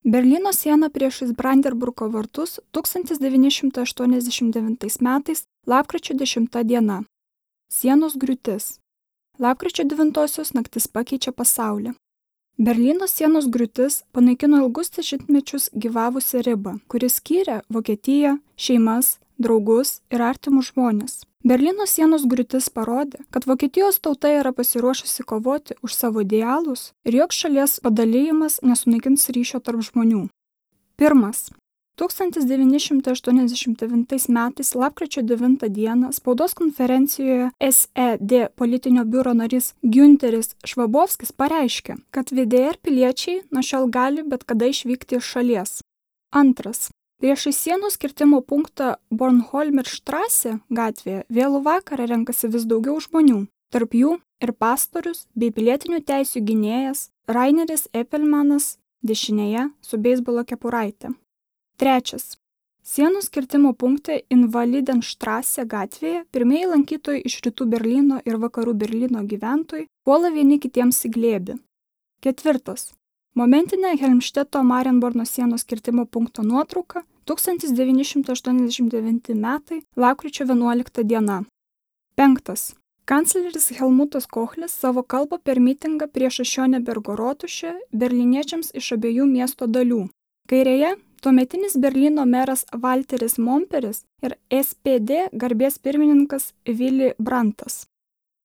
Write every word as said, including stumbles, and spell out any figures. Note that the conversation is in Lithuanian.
Berlyno siena priešais Brandenburgo vartus tūkstantis devyni šimtai aštuoniasdešimt devintais metais lapkričio dešimta diena. Sienos griūtis. Lapkričio devintosios naktis pakeičia pasaulį. Berlyno sienos griūtis panaikino ilgus dešimtmečius gyvavusią ribą, kuri skyrė Vokietiją, šeimas, draugus ir artimus žmones. Berlyno sienos griūtis parodė, kad Vokietijos tauta yra pasiruošusi kovoti už savo idealus ir joks šalies padalijimas nesunaikins ryšio tarp žmonių. Pirmas. tūkstantis devyni šimtai aštuoniasdešimt devintais metais lapkričio devintą dieną spaudos konferencijoje S E D politinio biuro narys Giunteris Švabovskis pareiškė, kad V D R piliečiai nuo šiol gali bet kada išvykti iš šalies. Antras. Priešais sienos kirtimo punktą Bornholmerstraße gatvėje vėlų vakarą renkasi vis daugiau žmonių, tarp jų ir pastorius bei pilietinių teisių gynėjas Raineris Epelmanas dešinėje su beisbolo kepuraite. Trečias. Sienos kirtimo punkte Invalidenstraße gatvėje pirmieji lankytojai iš rytų Berlyno ir vakarų Berlyno gyventojai puola vieni kitiems į glėbį. Ketvirtas. Momentinė Helmšteto Marienborno sienos kirtimo punkto nuotrauka tūkstantis devyni šimtai aštuoniasdešimt devinti metai lapkričio vienuolikta diena. Penktas. Kancleris Helmutas Kochlis savo kalbą per mitingą prieš Šionebergo rotušę berlyniečiams iš abiejų miesto dalių. Kairėje tuometinis Berlyno meras Valteris Momperis ir S P D garbės pirmininkas Willy Brandtas.